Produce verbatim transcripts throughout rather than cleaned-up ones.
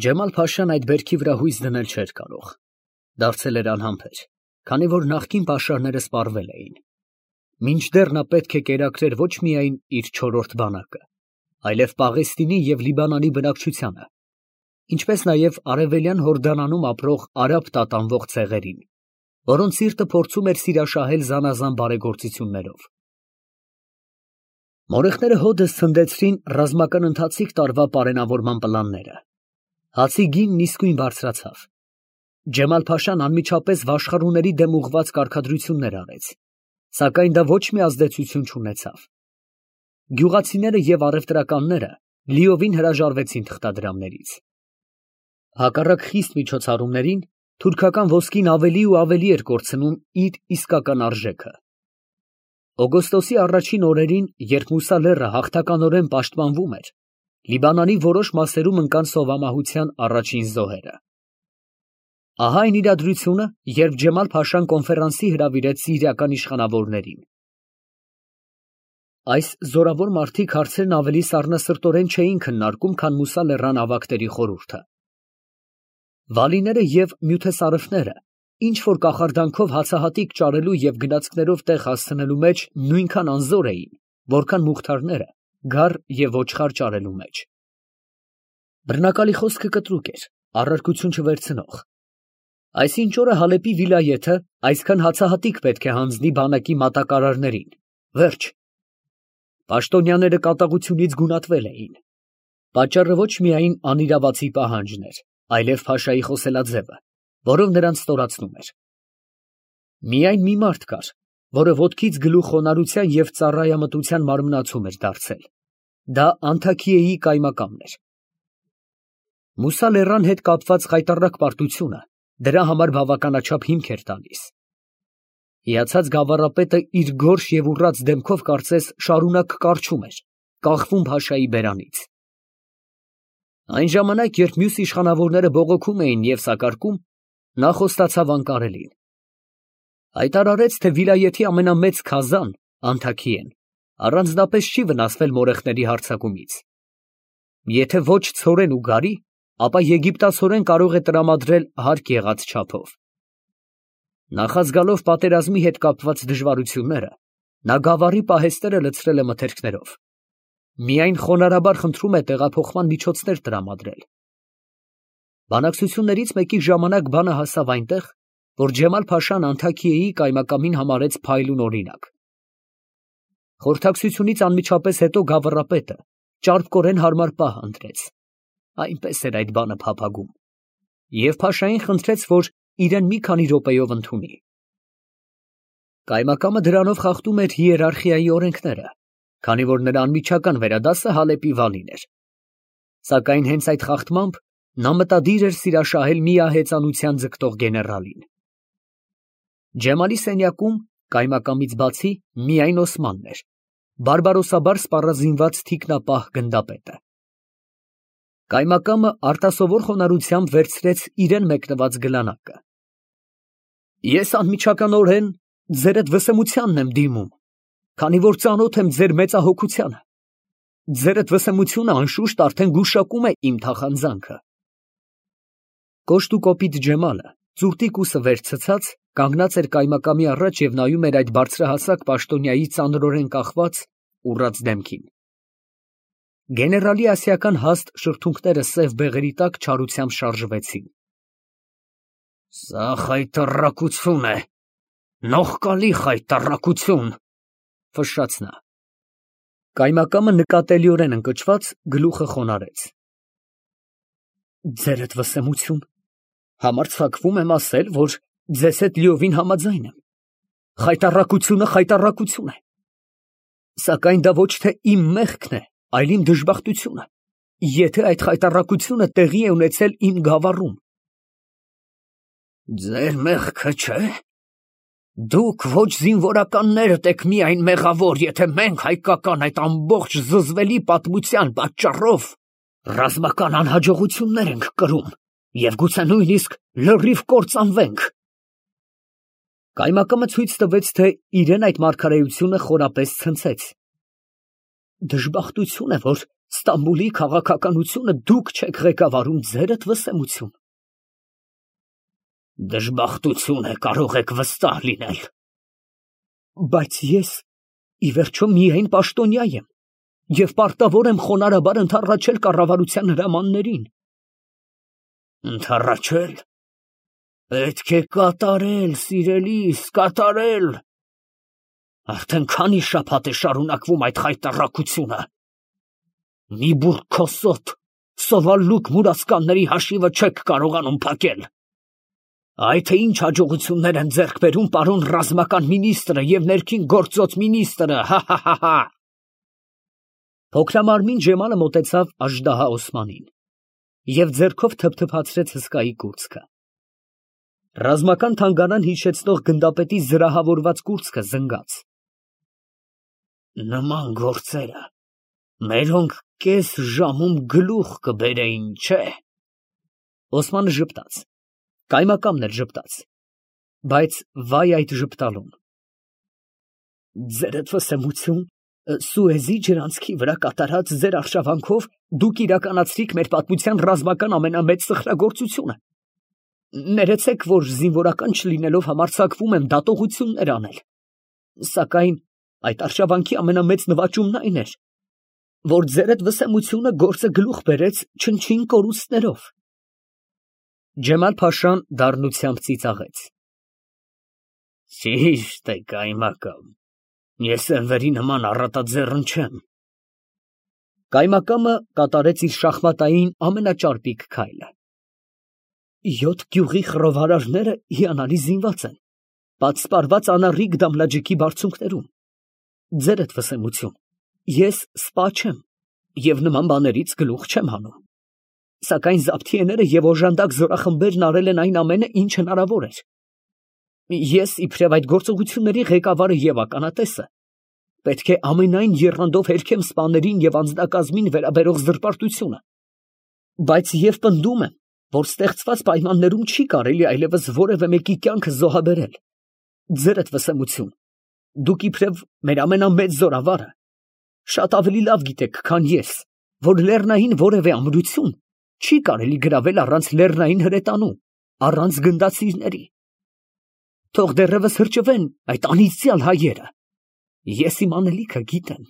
Ջեմալ֊փաշան այդ բերքի վրա հույս դնել չէր կարող, դարձել էր անհամբեր, քանի որ նախկին պաշարները սպառվել էին, մինչդեռ նա պետք է կերակրեր ոչ միայն իր չորրորդ բանակը, այլև Պաղեստինի և Լիբանանի բնակչությանը, ինչպես նաև արևելյան Հորդանանում ապրող արաբ տատանվող ցեղերին, որոնց սիրտը փորձում էր սիրաշահել զանազան բարեգործություններով։ Մորեխները հօդս ցնդեցրին ռազմական ընթացիկ տարվա պարենավորման պլանները։ Հացի գինն իսկույն բարձրացավ։ Ջեմալ֊փաշան անմիջապես վաշխառուների դեմ ուղղված կարգադրություններ արեց, սակայն դա ոչ մի ազդեցություն չունեցավ։ Գյուղացիները և առևտրականները լիովին հրաժարվեցին թղթադրամներից։ Հակառակ խիստ միջոցառումներին, թուրքական ոսկին ավելի ու ավելի էր կորցնում իր իսկական արժեքը։ Օգոստոսի առաջին օրերին, երբ Մուսա լեռը հաղթականորեն պաշտպանվում էր, Լիբանանի որոշ մասերում ընկան սովամահության առաջին զոհերը։ Ահա այն իրադրությունը, երբ Ջեմալ֊փաշան կոնֆերանսի հրավիրեց սիրիական իշխանավորներին։ Այս զորավոր մարդիկ հարցերն ավելի սառնասրտորեն չէին քննարկում, քան Մուսա լեռան ավագների խորհուրդը։ Վալիները և նյութեսարëվները ինչ որ կախարդանքով հացահատիկ ճարելու և գնացքներով տեղ հասցնելու մեջ նույնքան անզոր էին, որքան մուղթարները գար և ոչխար ճարելու մեջ։ Բռնակալի խոսքը կտրուկ էր, առարկություն չվերցնող։ Այսինչ օրը Հալեպի վիլայեթը այսքան հացահատիկ պետք է հանձնի բանակի մատակարարներին, վերջ։ Պաշտոնյաները կատաղությունից գունատվել էին։ Պատճառը ոչ միայն անիրավացի պահանջն էր, այլև փաշայի խոսելաձևը, որով նրանց ստորացնում էր։ Միայն մի մարդ կար, որը ոտքից գլուխ խոնարհության և ծառայամտության մարմնացում էր դարձել։ Դա Անթաքիեի կայմակամն էր։ Մուսա լեռան հետ կապված խայտառակ պարտությունը դրա համար բավականաչափ հիմք էր տալիս։ Հիացած գավառապետը իր գորշ և ուռած դեմքով կարծես շարունակ կառչում էր, կախվում փաշայի բերանից։ Այն ժամանակ, երբ մյուս իշխանավորները բողոքում էին և սակարկում, նա խոստացավ անկարելին։ Հայտարարեց, թե վիլայեթի ամենամեծ քազան Անթաքիեն առանձնապես չի վնասվել մորեխների հարձակումից։ Եթե ոչ ցորեն ու գարի, ապա եգիպտացորեն կարող է տրամադրել հարկ եղած չափով։ Նախազգալով պատերազմի հետ կապված դժվարությունները, նա գավառի պահեստները լցրել է մթերքներով։ Միայն խոնարհաբար խնդրում է տեղափոխման միջոցներ տրամադրել։ Բանակցություններից մեկի ժամանակ բանը հասավ այնտեղ, որ Ջեմալ-փաշան Անթաքիեի կայմակամին համարեց փայլուն օրինակ։ Խորհրդակցությունից անմիջապես հետո գավառապետը ճարպկորեն հարմար պահ ընտրեց, այնպես էր այդ բանը փափագում, և փաշային խնդրեց, որ իրեն մի քանի րոպեով ընդունի։ Կայմակամը դրանով խախտում էր հիերարխիայի օրենքները, քանի որ նրա անմիջական վերադասը Հալեպի վալին էր։ Սակայն հենց այդ խախտմամբ նա մտադիր էր սիրաշահել միահեծանության ձգտող գեներալին։ Ջեմալի սենյակում, կայմակամից բացի, միայն Օսմանն էր, բարբարոսաբար սպառազինված թիկնապահ գնդապետը։ Կայմակամը արտասովոր խոնարհությամբ վերցրեց իրան մեկնված գլանակը։ Ես անմիջականորեն ձերդ վսեմությանն եմ դիմում, քանի որ ծանոթ եմ ձեր մեծահոգությանը։ Ձերդ վսեմությունը անշուշտ արդեն գուշակում է իմ թախանձանքը։ Կոշտ ու կոպիտ Ջեմալը, ծուրտիկ ուսը վեր ցցած, կանգնած էր կայմակամի առաջ և նայում էր այդ բարձրահասակ պաշտոնյայի ծանրորեն կախված, ուռած դեմքին։ Գեներալի ասիական հաստ շրթունքները սև բեղերի տակ չարությամբ շարժվեցին։ Սա խայտառակություն է, նողկալի խայտառակություն, ֆշշաց նա։ Կայմակամը նկատելիորեն ընկճված գլուխը խոնարհեց։ Ձերդ վսեմություն, համարձակվում եմ ասել, որ ձեզ հետ լիովին համաձայն եմ։ Խայտառակությունը խայտառակություն է։ Սակայն դա ոչ թե իմ մեղքն է, այլ իմ դժբախտությունը, եթե այդ խայտառակությունը տեղի է ունեցել իմ գավառում։ Ձեր մեղքը չէ։ Դուք ոչ զինվորականներդ եք միայն մեղավոր, եթե մենք հայկական այդ ամբողջ զզվելի պատմության պատճառով ռազմական անհաջողություններ ենք կրում և գուցե նույնիսկ լրիվ կործանվենք։ Կայմակամը ցույց տվեց, թե իրեն այդ մարգարեությունը խորապես ցնցեց։ Դժբախտություն է, որ Ստամբուլի քաղաքականությունը դուք չեք ղեկավարում, ձերդ վսեմություն։ Դժբախտություն է, կարող եք վստահ լինել։ Բայց ես ի վերջո միայն պաշտոնյա եմ և պարտավոր եմ խոնարհաբար ընդառաջել կառավարության հրամաններին։ Ընդառաջել։ Պետք է կատարել, սիրելիս, կատարել։ Արդեն քանի շաբաթ է շարունակվում այդ խայտառակությունը։ Մի բուռ քոսոտ, սովալուկ մուրացկանների հաշիվը չեք կարողանում փակել։ Այ թե ինչ հաջողություններ են ձեռք բերում պարոն ռազմական մինիստրը և ներքին գործոց մինիստրը, հա՛֊հա՛֊հա՛։ Փոքրամարմին Ջեմալը մոտեցավ Աժդահա Օսմանին և ձեռքով թփթփացրեց հսկայի կուրծքը։ Ռազմական թանգարան հիշեցնող գնդապետի զրահավորված կուրծքը զնգաց։ Նման գործերը մերոնք կես ժամում գլուխ կբերեին, չէ՞։ Օսմանը ժպտաց, կայմակամն էլ ժպտաց, բայց վայ այդ ժպտալուն։ Ձերդ վսեմություն, Սուեզի ջրանցքի վրա կատարած ձեր արշավանքով դուք իրականացրիք մեր պատմության ռազմական ամենամեծ սխրագործությունը։ Ներեցեք, որ զինվորական չլինելով համարձակվում եմ դատողություններ անել։ Սակայն այդ արշավանքի ամենամեծ նվաճումն այն էր, որ ձերդ վսեմությունը գործը գլուխ բերեց չնչին կորուստներով։ Ջեմալ֊փաշան դառնությամբ ծիծաղեց։ Ճիշտ է, կայմակամ, ես Էնվերի նման առատաձեռն չեմ։ Կայմակամը կատարեց իր շախմատային ամենաճարպիկ քայլը։ Յոթ գյուղի խռովարարները հիանալի զինված են, պատսպարված անառիկ դամլաջիկի բարձունքներում։ Ձերդ վսեմություն, ես սպա չեմ և նման բաներից գլուխ չեմ հանում։ Սակայն զաբթիեները և օժանդակ զորախմբերն արել են այն ամենը, ինչ հնարավոր էր։ Ես, իբրև այդ գործողությունների ղեկավարը և ականատեսը, պետք է ամենայն եռանդով հերքեմ սպաներին և անձնակազմին վերաբերող զրպարտությունը։ Բայց և պնդում եմ, որ ստեղծված պայմաններում չի կարելի այլևս որևէ մեկի կյանքը զոհաբերել։ Ձերդ վսեմություն, դուք իբրև մեր ամենամեծ զորավարը, շատ ավելի լավ գիտեք, քան ես, որ լեռնային որևէ ամրություն չի կարելի գրավել առանց լեռնային հրետանու, առանց գնդացիրների։ Թող դեռևս հրճվեն այդ անիծյալ հայերը, ես իմ անելիքը գիտեմ։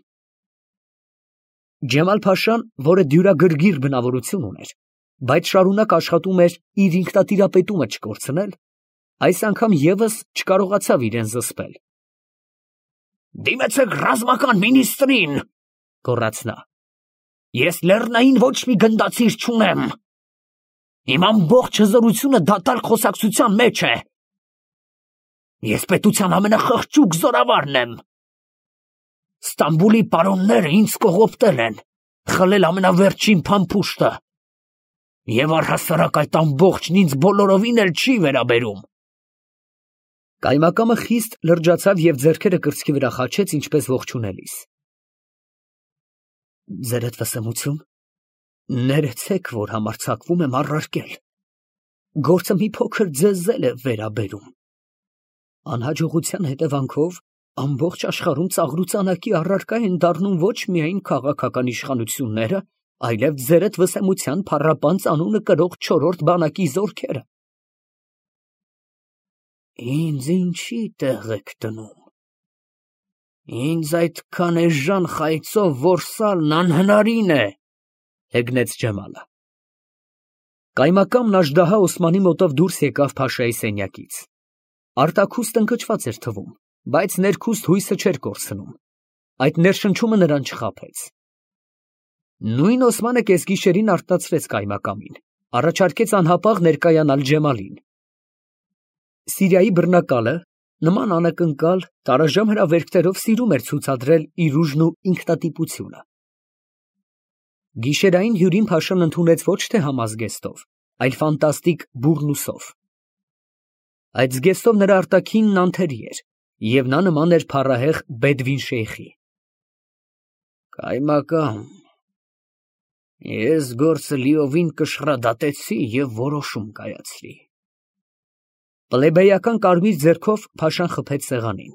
Ջեմալ֊փաշան, որը դյուրագրգիռ բնավորություն ուներ, բայց շարունակ աշխատում էր իր ինքնատիրապետումը չկորցնել, այս անգամ ևս չկարողացավ իրան զսպել։ Դիմեցեք ռազմական մինիստրին, գոռաց նա։ Ես լեռնային ոչ մի գնդացիր չունեմ։ Իմ ամբողջ հզորությունը դատարկ խոսակցության մեջ է։ Ես պետության ամենախղճուկ զորավարն եմ։ Ստամբուլի պարոնները ինձ կողոպտել են, խլել ամենավերջին փամփուշտը։ Եվ առհասարակ այդ ամբողջն ինձ բոլորովին էլ չի վերաբերում։ Կայմակամը խիստ լրջացավ և ձեռքերը կրծքի վրա խաչեց, ինչպես ողջունելիս։ Ձերդ վսեմություն, ներեցեք, որ համարձակվում եմ առարկել։ Գործը մի փոքր ձեզ էլ է վերաբերում։ Անհաջողության հետևանքով ամբողջ աշխարհում ծաղրուծանակի առարկա են դառնում ոչ միայն քաղաքական իշխանությունները, այլև ձերդ վսեմության փառապանծ անունը կրող չորրորդ բանակի զորքերը։ Ինձ ինչի տեղ եք դնում։ Ինձ այդքան էժան խայծով որսալն անհնարին է, հեգնեց Ջեմալը։ Կայմակամն Աժդահա Օսմանի մոտով դուրս եկավ փաշայի սենյակից։ Արտաքուստ ընկճված էր թվում, բայց ներքուստ հույսը չէր կորցնում։ Այդ ներշնչումը նրան չխաբեց։ Նույն Օսմանը կեսգիշերին արտացրեց կայմակամին, առաջարկեց անհապաղ ներկայանալ Ջեմալին։ Սիրիայի բռնակալը նման անակնկալ, տարաժամ հրավերքներով սիրում էր ցուցադրել իր ուժն ու ինքնատիպությունը։ Գիշերային հյուրին փաշան ընդունեց ոչ թե համազգեստով, այլ ֆանտաստիկ բուռնուսով։ Այդ զգեստով նրա արտաքինն անթերի էր, և նա նման էր փառահեղ Բեդվին շեյխի։ Կայմակամ, ես գործը լիովին կշռադատեցի և որոշում կայացրի։ Պլեբեյական կարմիր ձեռքով փաշան խփեց սեղանին։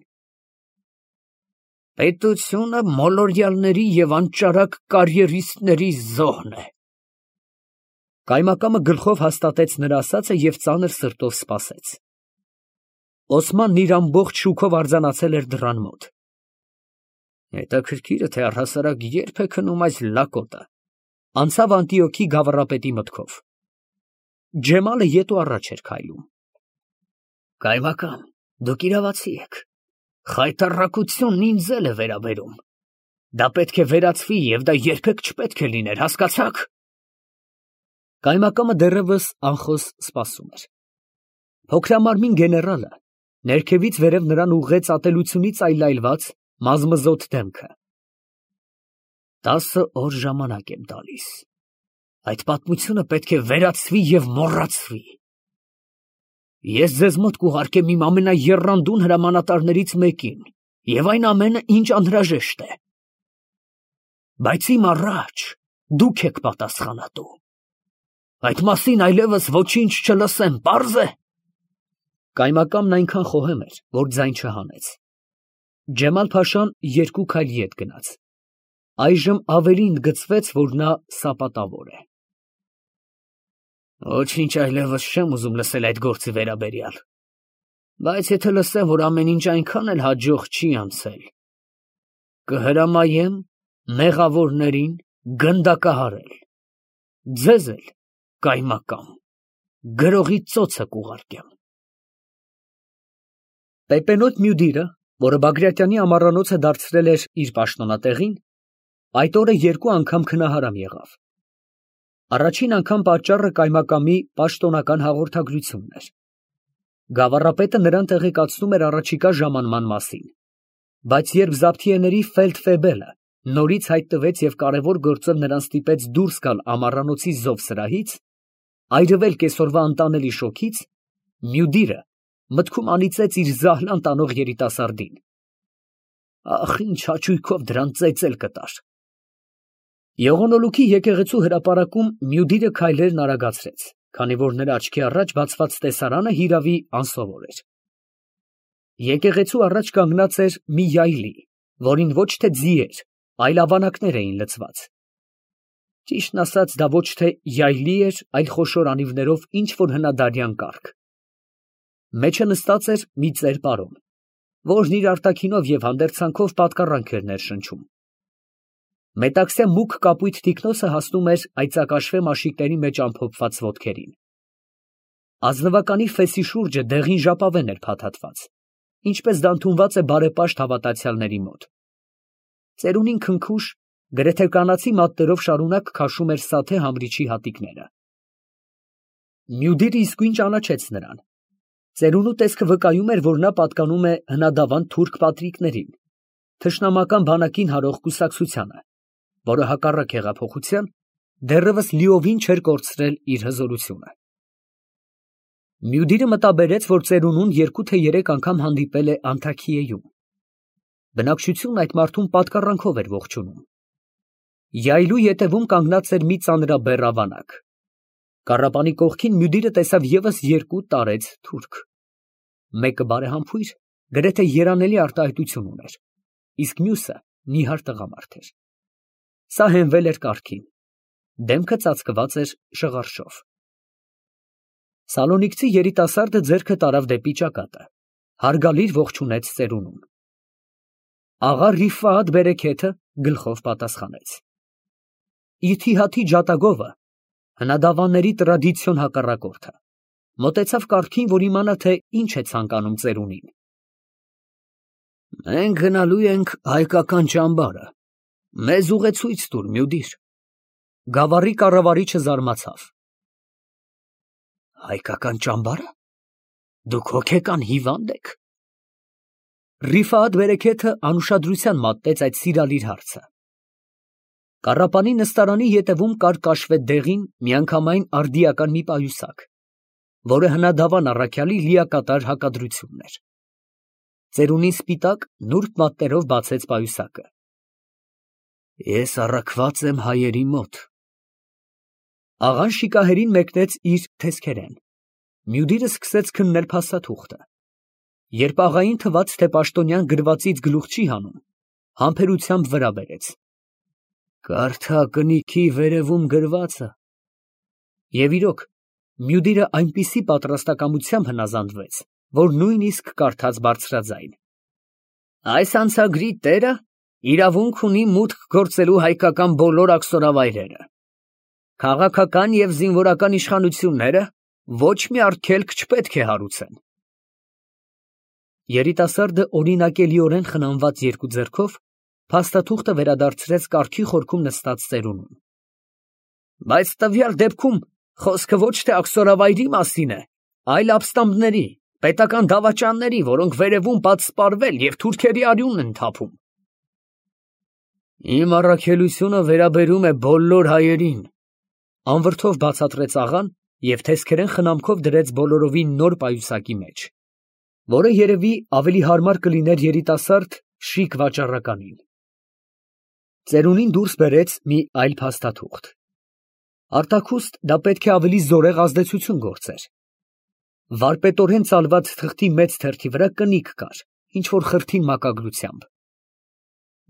Պետությունը մոլորյալների և անճարակ կարիերիստների զոհն է։ Կայմակամը գլխով հաստատեց նրա ասածը և ծանր սրտով սպասեց։ Օսմանն իր ամբողջ շուքով արձանացել էր դռան մոտ։ Հետաքրքիր է, թե առհասարակ երբ է քնում այս լակոտը, անցավ Անտիոքի գավառապետի մտքով։ Ջեմալը ետ ու առաջ էր քայլում։ Կայմակամ, դուք իրավացի եք։ Խայտառակությունն ինձ էլ է վերաբերում։ Դա պետք է վերացվի և դա երբեք չպետք է լիներ, հասկացա՞ք։ Կայմակամը դեռևս անխոս սպասում էր։ Փոքրամարմին գեներալը ներքևից վերև նրան ուղղեց ատելությունից այլայլված մազմզոտ դեմքը։ Տասը օր ժամանակ եմ տալիս։ Այդ պատմությունը պետք է վերացվի և մոռացվի։ Ես ձեզ մոտ կուղարկեմ իմ ամենաեռանդուն հրամանատարներից մեկին և այն ամենը, ինչ անհրաժեշտ է։ Բայց իմ առաջ դուք եք պատասխանատու։ Այդ մասին այլևս ոչինչ չլսեմ, պարզ է։ Կայմակամն այնքան խոհեմ էր, որ ձայն չհանեց։ Ջեմալ֊փաշան երկու քայլ ետ գնաց։ Այժմ ավելի ընդգծվեց, որ նա սապատավոր է։ Ոչինչ այլևս չեմ ուզում լսել այդ գործի վերաբերյալ։ Բայց եթե լսեմ, որ ամեն ինչ այնքան էլ հաջող չի անցել, կհրամայեմ մեղավորներին գնդակահարել։ Ձեզ էլ, Կայմակամ, գրողի ծոցը կուղարկեմ։ Պեպենոտ Մյուդիրը, որը Բագրատյանի ամառանոցը դարձրել էր իր պաշտոնատեղին, այդ օրը երկու անգամ քնահարամ եղավ։ Առաջին անգամ պատճառը Կայմակամի պաշտոնական հաղորդագրությունն էր։ Գավառապետը նրան տեղեկացնում էր առաջիկա ժամանման մասին, բայց երբ Զաբթիեների ֆելդֆեբելը նորից հայտնվեց և կարևոր գործով նրան ստիպեց դուրս գալ ամառանոցի զովսրահից, այրվել կեսօրվա անտանելի շոգից, Մյուդիրը մտքում անիծեց իր զահլան տանող երիտասարդին։ Ախ, ինչ հաճույքով դրան ծեծել կտար։ Եղոնոլուքի եկեղեցու հրապարակում Մյուդիրը քայլերն արագացրեց, քանի որ նրա աչքի առաջ բացված տեսարանը հիրավի անսովոր էր։ Եկեղեցու առաջ կանգնած էր մի յայլի, որին ոչ թե ձիեր, այլ ավանակներ էին լցված։ Ճիշտն ասած, դա ոչ թե յայլի էր, այլ խոշոր անիվներով ինչ֊որ հնադարյան կառք։ Մեջը նստած էր մի ծեր պարոն, որն իր արտաքինով և հանդերձանքով պատկառանք էր ներշնչում։ Մետաքսյա մուգ կապույտ թիկնոցը հասնում էր այծակաշվե մաշիկների մեջ ամփոփված ոտքերին։ Ազնվականի ֆեսի շուրջը դեղին ժապավեն էր փաթաթված, ինչպես դա ընդունված է բարեպաշտ հավատացյալների մոտ։ Ծերունին քնքուշ, գրեթե կանացի մատներով շարունակ քաշում էր սաթե համրիչի հատիկները։ Մյուդիրը իսկույն ճանաչեց նրան։ Ծերունու տեսքը վկայում էր, որ նա պատկանում է հնադավան թուրք պատրիկներին, թշնամական բանակին հարող կուսակցությանը, որը հակառակ հեղափոխության դեռևս լիովին չէր կորցրել իր հզորությունը։ Մյուդիրը մտաբերեց, որ ծերունուն երկու թե երեք անգամ հանդիպել է Անթաքիեում։ Բնակչությունն այդ մարդուն պատկառանքով էր ողջունում։ Յայլու ետևում կանգնած էր մի ծանրաբեռ ավանակ։ Կառապանի կողքին Մյուդիրը տեսավ ևս երկու տարեց թուրք։ Մեկը բարեհամբույր, գրեթե երանելի արտահայտություն ուներ, իսկ մյուսը նիհար տղամարդ էր։ Սա հենվել էր կառքին, դեմքը ծածկված էր շղարշով։ Սալոնիկցի երիտասարդը ձեռքը տարավ դեպի ճակատը, հարգալից ողջունեց ծերունուն։ Աղա Ռիֆատ Բերեքեթը գլխով պատասխանեց։ Իթիհադի ջատագովը, հնադավանների տրադիցիոն հակառակորդը, մոտեցավ կառքին, որ իմանա, թե ինչ է ցանկանում ծերունին։ Մենք գնալու ենք հայկական ճամբարը, մեզ ուղեցույց տուր, Մյուդիր։ Գավառի կառավարիչը զարմացավ։ Հայկական ճամբարը։ Դուք հոգեկան հիվա՞նդ եք։ Ռիֆատ Բերեքեթը անուշադրության մատնեց այդ սիրալիր հարցը։ Կառապանի նստարանի ետևում կար կաշվե դեղին միանգամայն արդիական մի պայուսակ, որը հնադավան առաքյալի լիակատար հակադրությունն էր։ Ծերունին սպիտակ նուրբ մատներով բացեց պայուսակը։ Ես առաքված եմ հայերի մոտ։ Աղան շիկահերին մեկնեց իր թեսքերեն։ Մյուդիրը սկսեց քննել փաստաթուղթը։ Երբ աղային թվաց, թե պաշտոնյան գրվածից գլուխ չի հանում, Համբերությամբ վրա բերեց։ Կարդա կնիքի վերևում գրվածը։ Եվ իրոք, Մյուդիրը այնպիսի պատրաստակամությամբ հնազանդվեց, որ նույնիսկ կարդաց բարձրաձայն. Այս անցագրի տերը իրավունք ունի մուտք գործելու հայկական բոլոր աքսորավայրերը։ Քաղաքական և զինվորական իշխանությունները ոչ մի արգելք չպետք է հարուցեն։ Երիտասարդը օրինակելիորեն խնամված երկու ձեռքով փաստաթուղթը վերադարձրեց կառքի խորքում նստած ծերունուն։ Բայց տվյալ դեպքում խոսքը ոչ թե աքսորավայրի մասին է, այլ ապստամբների, պետական դավաճանների, որոնք վերևում պատսպարվել և թուրքերի արյունն են թափում։ Իմ առաքելությունը վերաբերում է բոլոր հայերին, անվրդով բացատրեց աղան և թեսքերեն խնամքով դրեց բոլորովին նոր պայուսակի մեջ, որը երևի ավելի հարմար կլիներ երիտասարդ շիկ վաճառականին։ Ծերունին դուրս բերեց մի այլ փաստաթուղթ։ Արտաքուստ դա պետք է ավելի զորեղ ազդեցություն գործեր։ Վարպետորեն ծալված թղթի մեծ թերթի վրա կնիկ կար, ինչ-որ խրթին մակագրությամբ։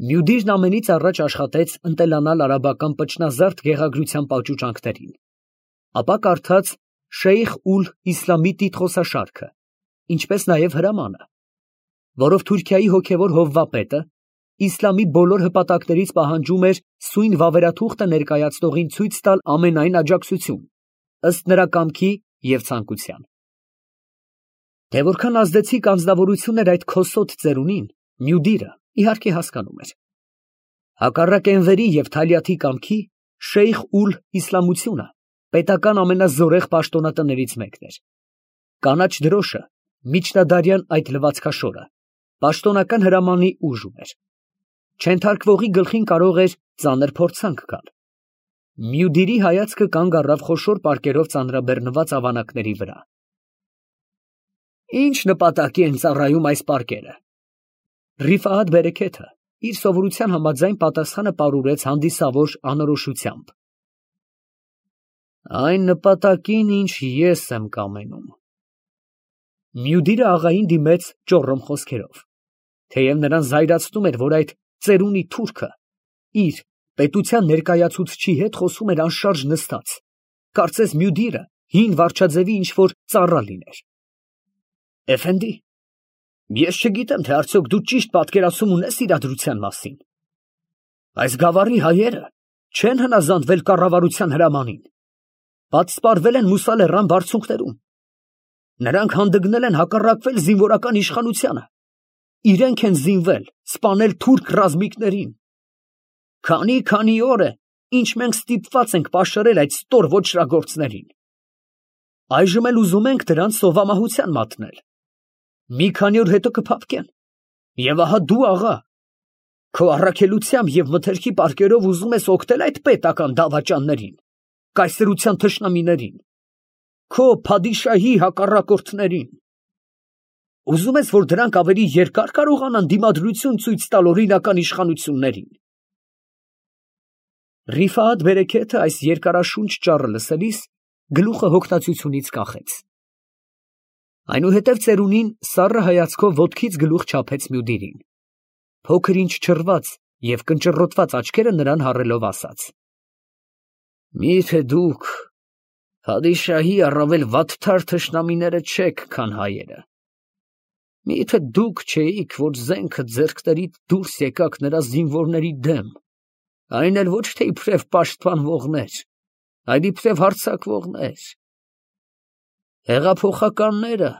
Մյուդիրն ամենից առաջ աշխատեց ընտելանալ արաբական պճնազարդ գեղագրության պաճուճանքներին, ապա կարդաց Շեյխ ուլ Իսլամի տիտղոսաշարքը, ինչպես նաև հրամանը, որով Թուրքիայի հոգևոր հովվապետը իսլամի բոլոր հպատակներից պահանջում էր սույն վավերաթուղթը ներկայացնողին ցույց տալ ամենայն աջակցություն, ըստ նրա կամքի և ցանկության։ Թե որքան ազդեցիկ անձնավորություն էր այդ քոսոտ ծերունին, Մյուդիրը իհարկե հասկանում էր։ Հակառակ Էնվերի և Թալյաթի կամքի, Շեյխ ուլ Իսլամությունը պետական ամենազորեղ պաշտոնատներից մեկն էր։ Կանաչ դրոշը, միջնադարյան այդ լվացքաշորը, պաշտոնական հրամանի ուժ ուներ։ Չենթարկվողի գլխին կարող էր ծանր փորձանք գալ։ Մյուդիրի հայացքը կանգ առավ խոշոր պարկերով ծանրաբեռնված ավանակների վրա։ Ինչ նպատակի են ծառայում այս պարկերը։ Ռիֆահաթ Բերեքեթը իր սովորության համաձայն պատասխանը պարուրեց հանդիսավոր անորոշությամբ։ Այն նպատակին, ինչ ես եմ կամենում։ Մյուդիրը աղային դիմեց ճոռոմ խոսքերով, թեև նրան զայրացնում էր, որ այդ ծերունի թուրքը իր պետության ներկայացուցչի հետ խոսում էր անշարժ նստած, կարծես Մյուդիրը հին վարչաձևի ինչ-որ ծառա լիներ։ Էֆենդի, ես չգիտեմ, թե արդյոք դու ճիշտ պատկերացում ունես իրադրության մասին։ Այս գավառի հայերը չեն հնազանդվել կառավարության հրամանին, պատսպարվել են Մուսա լեռան բարձունքներում։ Նրանք հանդգնել են հակառակվել զինվորական իշխանությանը, իրենք են զինվել, սպանել թուրք ռազմիկներին։ Քանի-քանի օր է, ինչ մենք ստիպված ենք պաշարել այդ ստոր ոճրագործներին։ Այժմ էլ ուզում ենք դրանց սովամահության մատնել։ Մի քանի օր հետո կփափկեն։ Եվ ահա դու, աղա, քո առաքելությամբ և մթերքի պարկերով ուզում ես օգնել այդ պետական դավաճաններին, կայսրության թշնամիներին, քո փադիշահի հակառակորդներին։ Ուզում ես, որ դրանք ավելի երկար կարողանան դիմադրություն ցույց տալ օրինական իշխանություններին։ Ռիֆահաթ Բերեքեթը այս երկարաշունչ ճառը լսելիս գլուխը հոգնածությունից կախեց։ Այնուհետև ծերունին սառը հայացքով ոտքից գլուխ չափեց Մյուդիրին, փոքր ինչ չռված և կնճռոտված աչքերը նրան հառելով ասաց. Մի՞թե դուք փադիշահի առավել վատթար թշնամիները չեք, քան հայերը։ Մի՞թե դուք չէիք, որ զենքը ձեռքներիդ դուրս եկաք նրա զինվորների դեմ, այն էլ ոչ թե իբրև պաշտպանվողներ, այլ իբրև հարձակվողներ։ Հեղափոխականները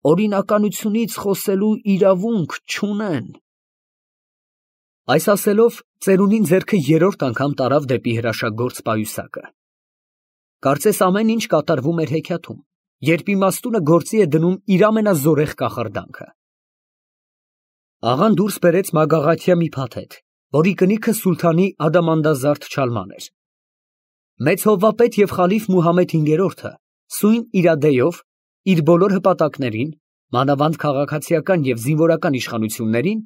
օրինականությունից խոսելու իրավունք չունեն։ Այս ասելով, ծերունին ձեռքը երրորդ անգամ տարավ դեպի հրաշագործ պայուսակը։ Կարծես ամեն ինչ կատարվում էր հեքիաթում, երբ իմաստունը գործի է դնում իր ամենազորեղ կախարդանքը։ Աղան դուրս բերեց մագաղաթյա մի փաթեթ, որի կնիքը սուլթանի ադամանդազարդ չալման էր։ Մեծ հովվապետ և խալիֆ Մուհամմեդ հինգերորդը սույն իրադեյով իր բոլոր հպատակներին, մանավանդ քաղաքացիական և զինվորական իշխանություններին,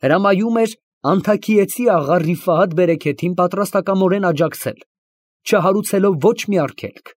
հրամայում էր անթաքիեցի աղա Ռիֆահաթ Բերեքեթին պատրաստակամորեն աջակցել, չհարուցելով ոչ մի արգելք։